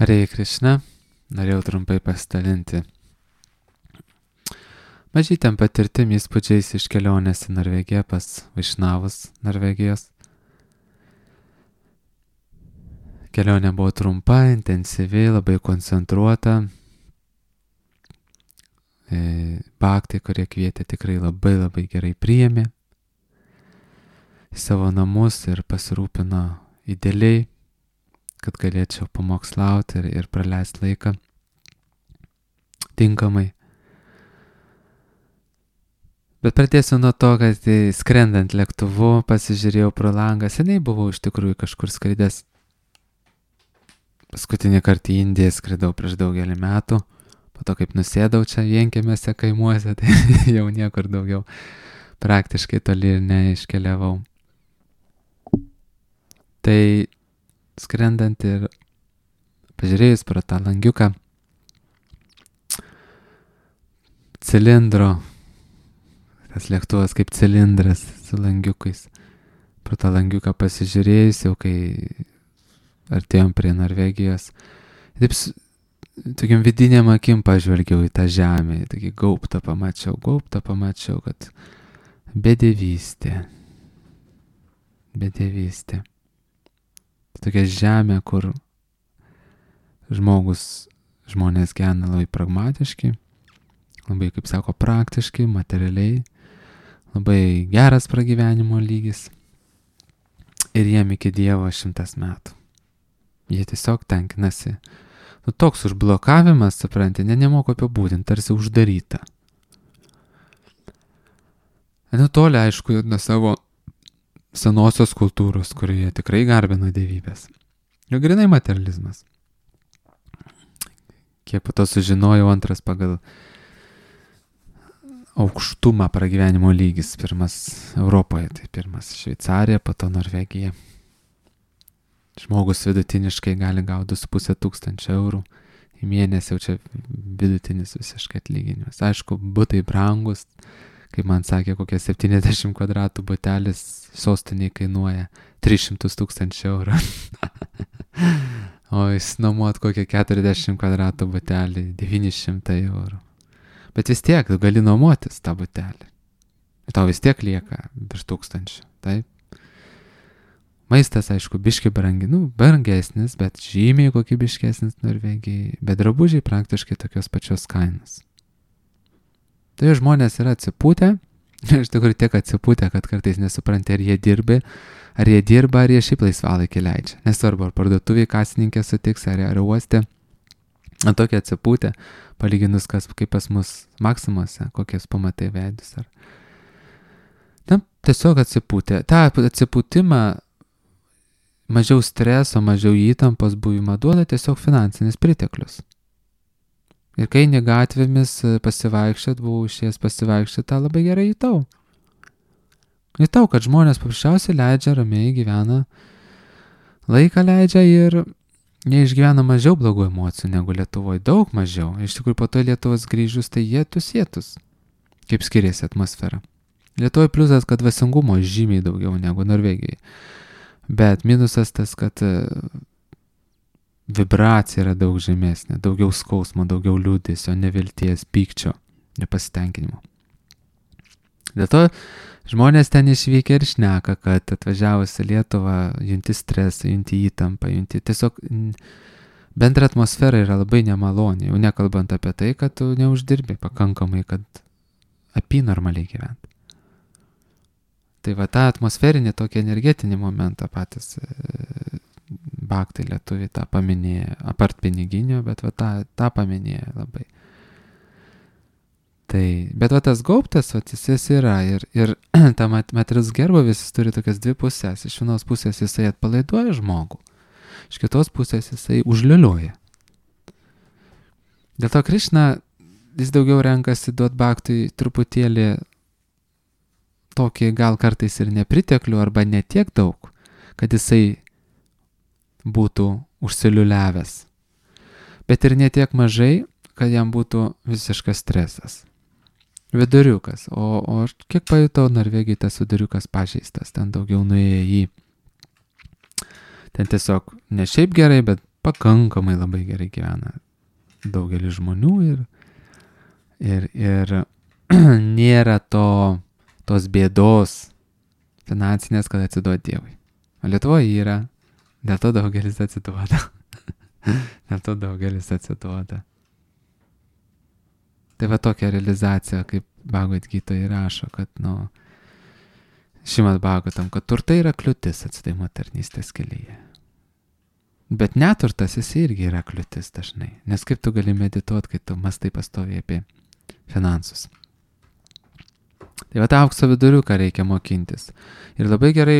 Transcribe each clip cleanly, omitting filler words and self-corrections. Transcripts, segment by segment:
Hare Krishna, norėjau trumpai pasidalinti mažytėm patirtim įspūdžiais iš kelionės į Norvegiją pas Vaišnavus Norvegijos. Kelionė buvo trumpa, intensyvi, labai koncentruota. Bhaktai, kurie kvietė, tikrai labai gerai priėmė į savo namus ir pasirūpino idealiai, kad galėčiau pamokslauti ir praleisti laiką tinkamai. Bet pradėsiu nuo to, kad skrendant lėktuvu pasižiūrėjau pro langą. Seniai buvau iš tikrųjų kažkur skridęs. Paskutinį kartą į Indiją skridau prieš daugelį metų. Po to, kaip nusėdau čia vienkiemiuose kaimuose, tai jau niekur daugiau praktiškai toli ir neiškeliavau. Tai skrendant ir pažiūrėjus pro tą langiuką cilindro, tas lėktuvas kaip cilindras su langiukais, pro tą langiuką pasižiūrėjus, jau kai artėjom prie Norvegijos, taip tokiam vidiniam akim pažvelgiau į tą žemę, tokį gaubtą pamačiau, kad bedevystė. Tokia žemė, kur žmonės gyvena labai pragmatiški, labai, kaip sako, praktiški, materialiai, labai geras pragyvenimo lygis ir jiem iki Dievo 100 metų. Jie tiesiog tenkinasi. Toks užblokavimas, supranti, nemoku apibūdinti, tarsi uždaryta. Toli, aišku, nuo savo senosios kultūros, kurioje tikrai garbino dievybės. Jau grinai materializmas. Kiek po to sužinojau, antras pagal aukštumą pragyvenimo lygis, pirmas Europoje, tai pirmas Šveicarija, po to Norvegija. Žmogus vidutiniškai gali gauti 2500 eurų į mėnesį, jau čia vidutinis visiškai atlyginimas. Aišku, butai brangus, kaip man sakė, kokie 70 kvadratų butelis sostiniai kainuoja 300 000 eurų. O išsinuomot kokią 40 kvadratų butelį 900 eurų. Bet vis tiek, tu gali nuomotis tą butelį. Ir tau vis tiek lieka virš 1000, taip? Maistas, aišku, biški brangesnis, bet žymiai kokybiškesnis Norvegijai, bet drabužiai praktiškai tokios pačios kainos. Tai žmonės yra atsipūtę, iš tikrųjų tiek atsipūtę, kad kartais nesupranti, ar jie dirba, ar jie šiaip laisvalaikį leidžia. Nesvarbu, ar parduotuviai kasininkė sutiks, ar uoste. Tokie atsipūtę, palyginus kaip pas mus Maksimuose, kokias pamatai veidus. Tiesiog atsipūtę. Ta atsipūtimą, mažiau streso, mažiau įtampos buvimą duoda tiesiog finansinis priteklius. Ir kai eini gatvėmis buvau išėjęs pasivaikščioti, tą labai gerai jutau. Jutau, kad žmonės paprasčiausiai leidžia, ramiai gyvena, laiką leidžia ir jie išgyvena mažiau blogų emocijų negu Lietuvoje, daug mažiau. Iš tikrųjų, po to Lietuvos grįžus, tai jėtus, kaip skiriasi atmosfera. Lietuvoje pliusas, kad dvasingumo žymiai daugiau negu Norvegijai. Bet minusas tas, kad vibracija yra daug žemesnė, daugiau skausmo, daugiau liūdesio, nevilties, pykčio, nepasitenkinimo. Dėl to žmonės ten išvykę ir šneka, kad atvažiavus į Lietuvą junti stresą, junti įtampą, tiesiog bendra atmosfera yra labai nemaloni, jau nekalbant apie tai, kad tu neuždirbi pakankamai, kad normaliai gyventi. Tai va tą atmosferinį tokį energetinį momentą patys bhaktai lietuviai tą paminėjo, apart piniginio, bet va tą paminėjo labai. Tai, bet va tas gaubtas, va jis yra ir ta materialus gerbūvis jis turi tokias dvi pusės. Iš vienos pusės jisai atpalaiduoja žmogų, iš kitos pusės jisai užliuliuoja. Dėl to Krišna jis daugiau renkasi duot bhaktui truputėlį tokį gal kartais ir nepriteklių arba ne tiek daug, kad jisai būtų užsiliuliavęs. Bet ir ne tiek mažai, kad jam būtų visiškas stresas. Viduriukas. O kiek pajutau, Norvegijai tas viduriukas pažeistas. Ten daugiau nuėjo į... Ten tiesiog ne šiaip gerai, bet pakankamai labai gerai gyvena daugelis žmonių ir nėra tos bėdos finansinės, kad atsiduot Dievui. O Lietuvoje yra, dėl to daugelis atsiduoda. Tai va tokia realizacija, kaip Bhagavad Gita įrašo, kad, Šrimad Bhagavatam, kad turtai yra kliūtis atsidavimo tarnystės kelyje. Bet neturtas jis irgi yra kliūtis dažnai. Nes kaip tu gali medituoti, kai tu mąstai pastoviai apie finansus. Tai va tą aukso viduriuką reikia mokintis. Ir labai gerai,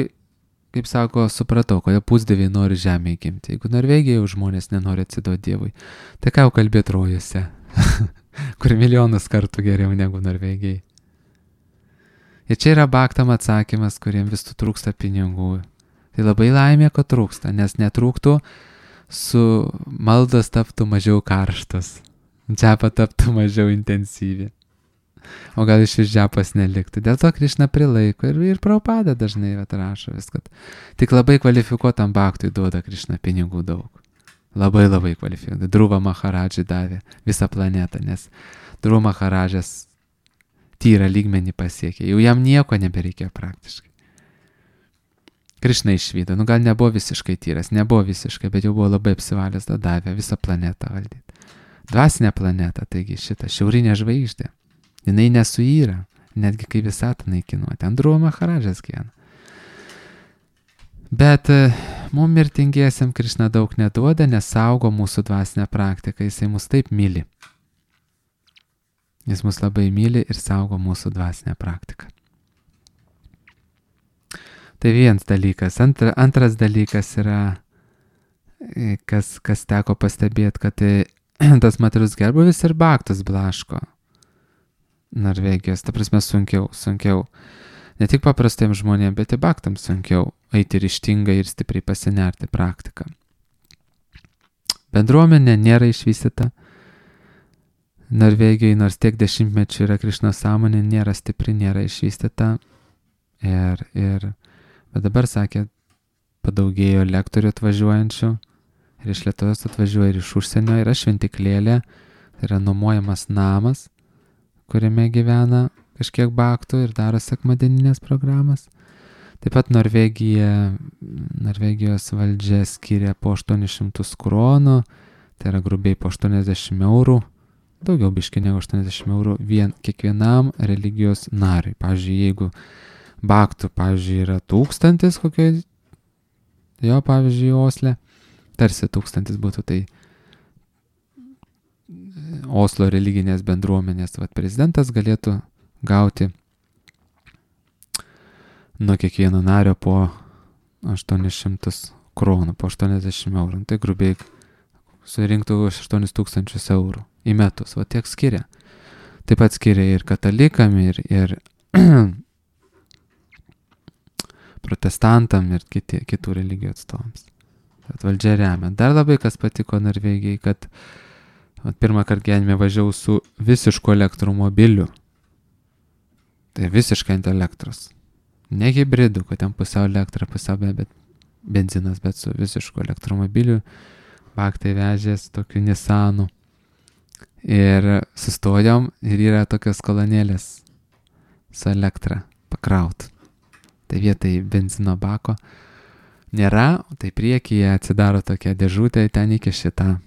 kaip sako, supratau, kodėl pusdieviai nori žemėje gimti. Jeigu Norvegijoje žmonės nenori atsiduoti Dievui, tai ką jau kalbėti rojuose, kur milijonus kartų geriau negu Norvegijai. Ir čia yra Bhaktam atsakymas, kuriem vis trūksta pinigų. Tai labai laimė, kad trūksta, nes netrūktų, su maldos taptų mažiau karštas, džapa taptų mažiau intensyvi. O gal iš džapas neliktų. Dėl to Krišna prilaiko ir Prabhupada dažnai rašo vis, kad tik labai kvalifikuotam bhaktui duoda Krišna pinigų daug. Labai labai kvalifikuotam. Dhruva Maharadžai davė visą planetą, nes Dhruva Maharadžas tyrą lygmenį pasiekė. Jau jam nieko nebereikėjo praktiškai. Krišna išvydo. Gal nebuvo visiškai tyras, bet jau buvo labai apsivalęs, davė visą planetą valdyti. Dvasinę planetą, taigi šitą šiaurinę žvaigždę. Jinai nesuyra, netgi kai visatą naikinuoja. Ten Dhruva Maharadžas gyvena. Bet mums mirtingiesiam Krišna daug neduoda, nes saugo mūsų dvasinę praktiką. Jisai mus taip myli. Jis mus labai myli ir saugo mūsų dvasinę praktiką. Tai vienas dalykas. Antras dalykas yra, kas teko pastebėti, kad tas materialus gerbūvis ir bhaktas blaško Norvegijos. Ta prasme sunkiau. Ne tik paprastiems žmonėms, bet ir bhaktams sunkiau eiti ryžtingai ir stipriai pasinerti praktiką. Bendruomenė nėra išvystyta. Norvegijai, nors tiek dešimtmečių yra Krišnos sąmonė, nėra stipri, nėra išvystyta. Bet dabar, sakė, padaugėjo lektorių atvažiuojančių. Ir iš Lietuvos atvažiuoja ir iš užsienio. Yra šventiklėlė, tai yra nuomojamas namas, kuriame gyvena kažkiek bhaktų ir daro sekmadieninės programas. Taip pat Norvegijos valdžia skiria po 800 kronų, tai yra grubiai po 80 eurų. Daugiau biškai negu 80 eurų kiekvienam religijos nariui. Pavyzdžiui, jeigu bhaktų, yra 1000 kokio, pavyzdžiui, Osle, tarsi 1000 būtų, tai Oslo religinės bendruomenės prezidentas galėtų gauti nuo kiekvieno nario po 800 kronų, po 80 eurų. Tai grubiai surinktų 8000 eurų į metus, tiek skiria. Taip pat skiria ir katalikam, ir protestantam, ir kitų religijų atstovams. Tad valdžia remia. Dar labai kas patiko Norvegijai, kad pirmą kartą gyvenime važiavau su visišku elektromobiliu. Tai visiškai ant elektros. Ne hibridų, kad ten pusiau elektra, pusiau benzinas, bet su visišku elektromobiliu. Bhaktai vežės tokiu Nissanu. Ir sustojom ir yra tokios kolonėlės su elektra pakraut. Tai vietai benzino bako nėra, tai priekyje atsidaro tokia dėžutė, ten iki šitą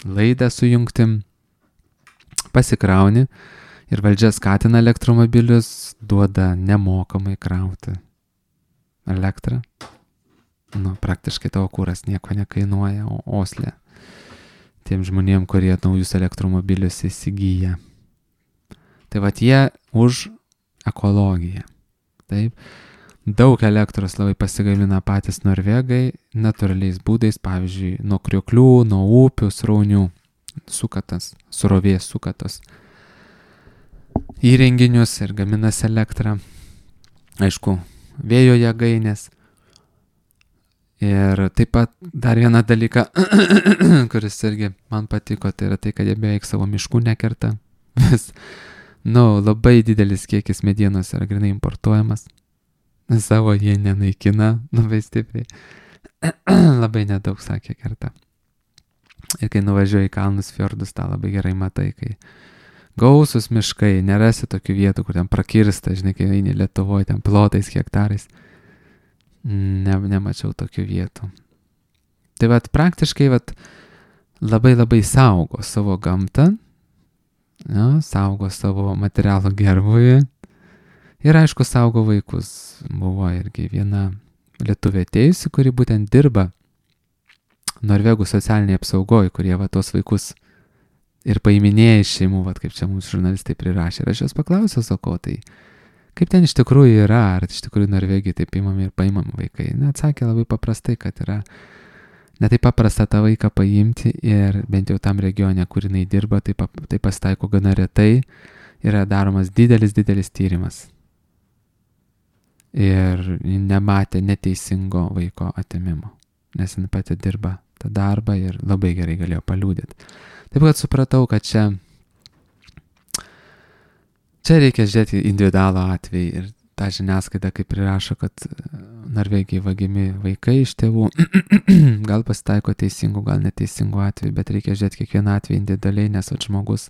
laidą sujungtim, pasikrauni ir valdžia skatina elektromobilius, duoda nemokamai krauti elektrą. Praktiškai tavo kūras nieko nekainuoja, o Osle tiem žmonėm, kurie naujus elektromobilius įsigyja. Tai jie už ekologiją. Taip. Daug elektros labai pasigamina patys norvegai natūraliais būdais, pavyzdžiui, nuo krioklių, nuo upių, sraunių, surovės sukatos įrenginius ir gaminas elektrą. Aišku, vėjo jėgainės. Ir taip pat dar vieną dalyką, kuris irgi man patiko, tai yra tai, kad jie beveik savo miškų nekerta. Labai didelis kiekis medienos yra grinai importuojamas. Savo jie nenaikina labai stipriai. Labai nedaug, sakė, kerta. Ir kai nuvažiuoji į kalnus, fjordus, tą labai gerai matai, kai gausus miškai, nerasi tokių vietų, kur ten prakirsta, žinai, kai eini Lietuvoje, ten plotais, hektarais. Nemačiau tokių vietų. Tai vat praktiškai labai labai saugo savo gamtą, saugo savo materialų gerbuvį ir aišku saugo vaikus. Buvo irgi viena lietuvė atėjusi, kuri būtent dirba Norvegų socialiniai apsaugoje, kurie tos vaikus ir paiminėja iš šeimų, kaip čia mums žurnalistai prirašė. Ir aš jos paklausiau, sako, tai kaip ten iš tikrųjų yra, ar iš tikrųjų Norvegijai taip imami ir paimami vaikai. Atsakė labai paprastai, kad yra ne taip paprasta tą vaiką paimti ir bent jau tam regione, kur jinai dirba, tai pasitaiko gana retai, yra daromas didelis tyrimas. Ir nematė neteisingo vaiko atėmimo, nes jinai pati dirba tą darbą ir labai gerai galėjo paliūdėti. Taip kad supratau, kad čia reikia žiūrėti individualų atvejį ir tą žiniasklaidą, kaip prirašo, kad Norvegijai vagiami vaikai iš tėvų, gal pasitaiko teisingų, gal neteisingų atvejų, bet reikia žiūrėti kiekvieną atvejį individualiai, nes žmogus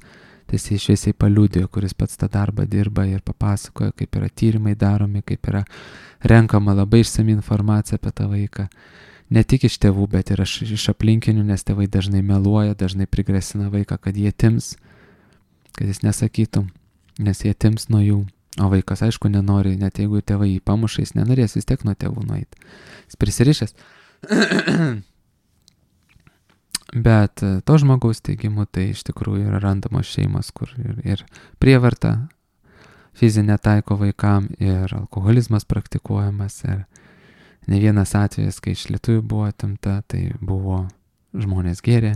tiesiai šviesiai paliūdėjo, kuris pats tą darbą dirba ir papasakoja, kaip yra tyrimai daromi, kaip yra renkama labai išsami informacija apie tą vaiką. Ne tik iš tėvų, bet ir iš aplinkinių, nes tėvai dažnai meluoja, dažnai prigrasina vaiką, kad jie atims, kad jis nesakytų, nes jie atims nuo jų. O vaikas, aišku, nenori, net jeigu tėvai jį pamuša, jis nenorės vis tiek nuo tėvų nueiti. Jis prisirišęs. Bet to žmogaus teigimu tai iš tikrųjų yra randamos šeimos, kur ir prievarta fizinė taiko vaikam, ir alkoholizmas praktikuojamas, ir ne vienas atvejis, kai iš lietuvių buvo atimta, tai buvo žmonės gėrė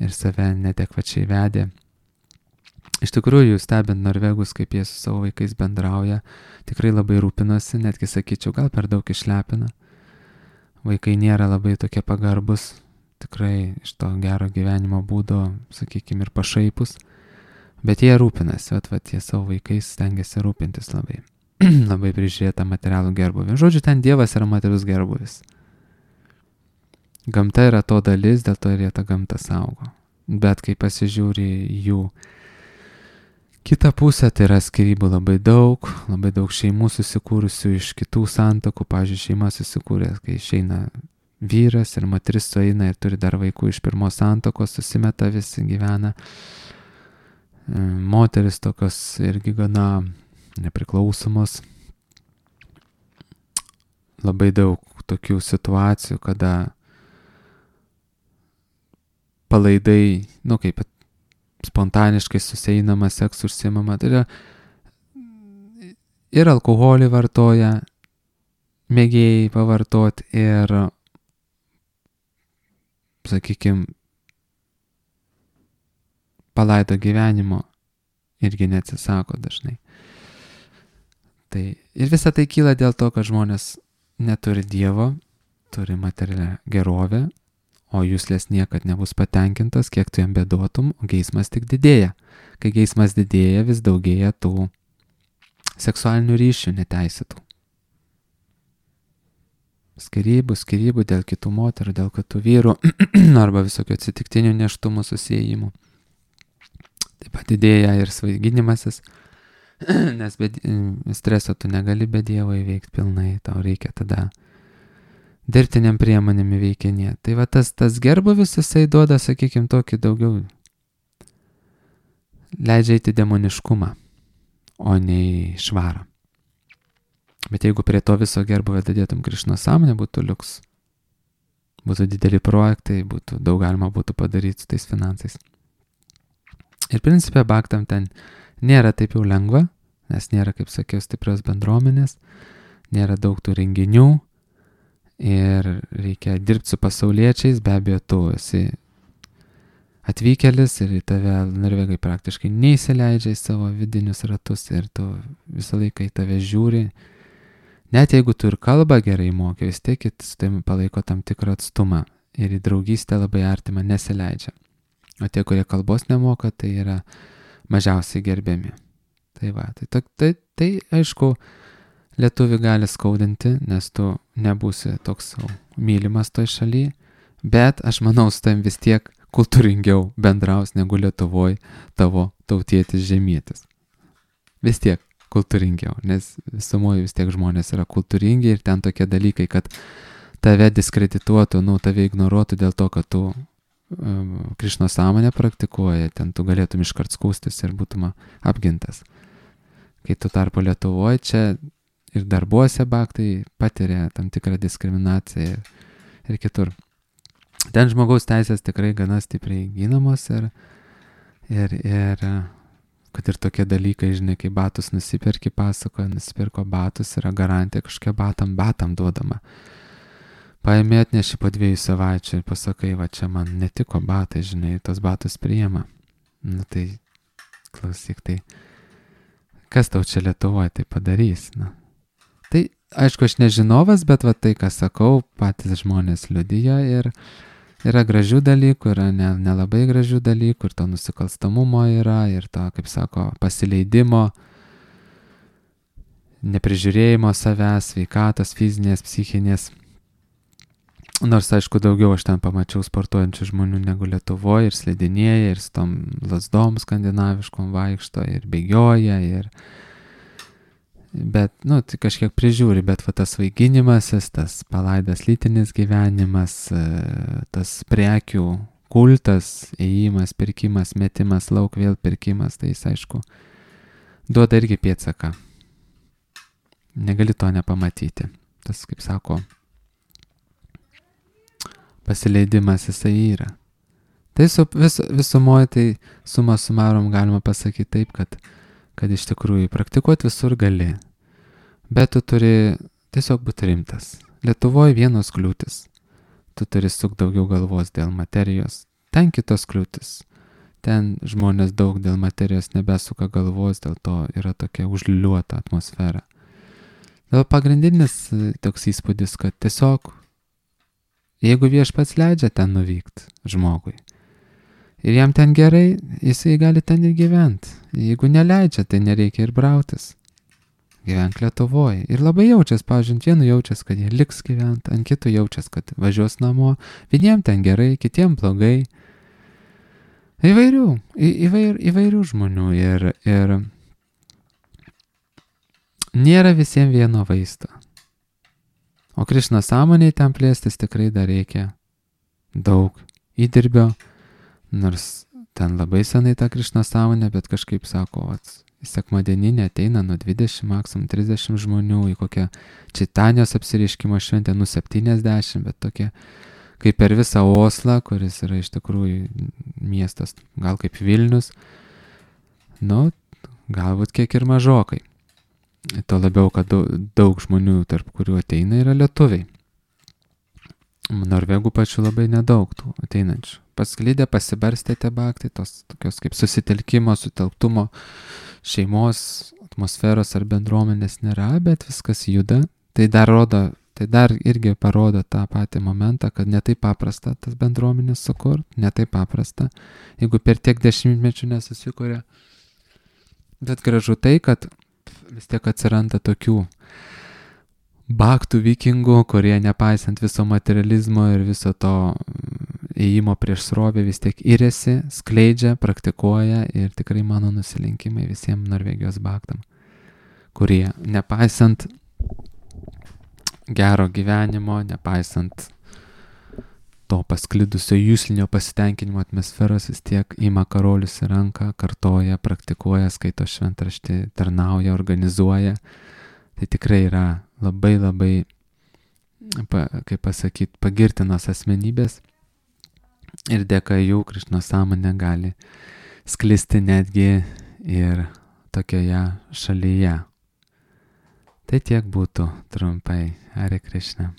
ir save neadekvačiai vedė. Iš tikrųjų, stebint norvegus, kaip jie su savo vaikais bendrauja, tikrai labai rūpinosi, netgi sakyčiau, gal per daug išlepina. Vaikai nėra labai tokie pagarbus, tikrai iš to gero gyvenimo būdo, sakykime, ir pašaipus, bet jie rūpinasi, jie savo vaikais stengiasi rūpintis labai. Labai prižiūrėta materialų gerbuvį. Žodžiu, ten Dievas yra materialus gerbuvis. Gamta yra to dalis, dėl to ir jie tą gamtą saugo. Bet kai pasižiūri jų kitą pusę, tai yra skyrybų labai daug šeimų susikūrusių iš kitų santuokų. Pavyzdžiui, šeima susikūrė, kai išeina vyras ir moteris sueina ir turi dar vaikų iš pirmos santuokos, susimeta visi, gyvena. Moteris tokios irgi gana nepriklausomos. Labai daug tokių situacijų, kada palaidai, kaip spontaniškai suseinama, seksu užsiimama, tai yra ir alkoholį vartoja, mėgėjai pavartoti, ir, sakykime, palaido gyvenimo irgi neatsisako dažnai. Tai ir visa tai kyla dėl to, kad žmonės neturi Dievo, turi materialią gerovę, o jūslės niekad nebus patenkintas, kiek tu jam beduotum, o geismas tik didėja. Kai geismas didėja, vis daugėja tų seksualinių ryšių neteisėtų. Skyrybų dėl kitų moterų, dėl kitų vyrų, arba visokio atsitiktinių nėštumų susijimų. Taip pat didėja ir svaiginimasis, nes streso tu negali be Dievo įveikti pilnai, tau reikia tada dirbtiniam priemonėm įveikinėti. Tai tas gerbuvis, jisai duoda, sakykime, tokį daugiau, leidžia eiti demoniškumą, o ne į švarą. Bet jeigu prie to viso gerbuvio dadėtum Krišnos sąmonę, būtų liuks. Būtų dideli projektai, daug galima būtų padaryti su tais finansais. Ir principė baktam ten nėra taip jau lengva, nes nėra, kaip sakiau, stiprios bendruomenės, nėra daug tų renginių ir reikia dirbti su pasauliečiais, be abejo, tu esi atvykėlis ir į tave norvegai praktiškai neįsileidžia į savo vidinius ratus ir tu visą laiką į tave žiūri. Net jeigu tu ir kalbą gerai moki, vis tiek su tavimi palaiko tam tikrą atstumą ir į draugystę labai artimą nesileidžia. O tie, kurie kalbos nemoka, tai yra mažiausiai gerbiami. Tai aišku, lietuvį gali skaudinti, nes tu nebūsi toks mylimas toj šalyje, bet aš manau, su tavim vis tiek kultūringiau bendraus negu Lietuvoje tavo tautietis žemietis. Vis tiek kultūringiau, nes visumoje vis tiek žmonės yra kultūringi ir ten tokie dalykai, kad tave diskredituotų, tave ignoruotų dėl to, kad tu Krišnos sąmonę praktikuoja, ten tu galėtum iškart skūstis ir būtum apgintas. Kai tu tarpu Lietuvoje čia ir darbuose baktai patiria tam tikrą diskriminaciją ir kitur. Ten žmogaus teisės tikrai gana stipriai ginamos ir kad ir tokie dalykai, žinai, kai batus nusipirki, pasakoja, nusipirko batus, yra garantija kažkokia batam duodama. Paėmė atneši po 2 savaičių ir pasakai, va čia man netiko batai, žinai, tos batus priima. Tai klausyk, tai kas tau čia Lietuvoje tai padarys? Tai aišku, aš nežinovas, bet va tai, ką sakau, patys žmonės liudija ir yra gražių dalykų, yra nelabai gražių dalykų, ir to nusikalstamumo yra, ir to, kaip sako, pasileidimo, neprižiūrėjimo savęs, sveikatos, fizinės, psichinės. Nors, aišku, daugiau aš ten pamačiau sportuojančių žmonių negu Lietuvoje, ir slidinėja, ir su tom lasdom skandinaviškom vaikšto, ir bėgioja, bet, tai kažkiek prižiūri, bet va tas vaiginimasis, tas palaidas lytinis gyvenimas, tas prekių kultas, ėjimas, pirkimas, metimas, lauk vėl pirkimas, tai jis, aišku, duoda irgi pėdsaką. Negali to nepamatyti. Tas, kaip sako, pasileidimas jisai yra. Tai visumoje, tai suma sumarom galima pasakyti taip, kad iš tikrųjų praktikuoti visur gali, bet tu turi tiesiog būti rimtas. Lietuvoje vienos kliūtis. Tu turi sukti daugiau galvos dėl materijos. Ten kitos kliūtis. Ten žmonės daug dėl materijos nebesuka galvos, dėl to yra tokia užliuota atmosfera. Dėl pagrindinis toks įspūdis, kad tiesiog jeigu viešpats leidžia ten nuvykti žmogui ir jam ten gerai, jisai gali ten ir gyventi. Jeigu neleidžia, tai nereikia ir brautis. Gyvenk Lietuvoje. Ir labai jaučias, pavyzdžiui, vienu jaučias, kad jie liks gyventi, ant kitų jaučias, kad važiuos namo. Vieniem ten gerai, kitiem blogai. Įvairių žmonių ir nėra visiems vieno vaisto. O Krišnos sąmonėje ten plėstis tikrai dar reikia daug įdirbio, nors ten labai senai ta Krišnos sąmonė, bet kažkaip sako, į sekmadieninę ateina nuo 20, maksimum 30 žmonių, į kokią Čitanijos apsireiškimo šventę, 70, bet tokie kaip per visą Oslą, kuris yra iš tikrųjų miestas, gal kaip Vilnius, galbūt kiek ir mažokai. To labiau, kad daug žmonių, tarp kurių ateina, yra lietuviai. Norvegų pačių labai nedaug tų ateinančių. Pasklydę, pasibarstę tie baktai, tos tokios kaip susitelkimo, sutelktumo, šeimos, atmosferos ar bendruomenės nėra, bet viskas juda. Tai dar irgi parodo tą patį momentą, kad ne taip paprasta tas bendruomenės sukurt, ne taip paprasta, jeigu per tiek dešimtmečių nesusikuria. Bet gražu tai, kad vis tiek atsiranda tokių baktų vikingų, kurie nepaisant viso materializmo ir viso to ėjimo prieš srovę vis tiek iriasi, skleidžia, praktikuoja ir tikrai mano nusilenkimai visiems Norvegijos baktam, kurie nepaisant gero gyvenimo, nepaisant to pasklidusio jūslinio pasitenkinimo atmosferos, vis tiek ima karolius į ranką, kartoja, praktikuoja, skaito šventraštį, tarnauja, organizuoja. Tai tikrai yra labai, kaip pasakyti, pagirtinos asmenybės ir dėka jų Krišnos sąmonė gali sklisti netgi ir tokioje šalyje. Tai tiek būtų trumpai. Hare Krishna.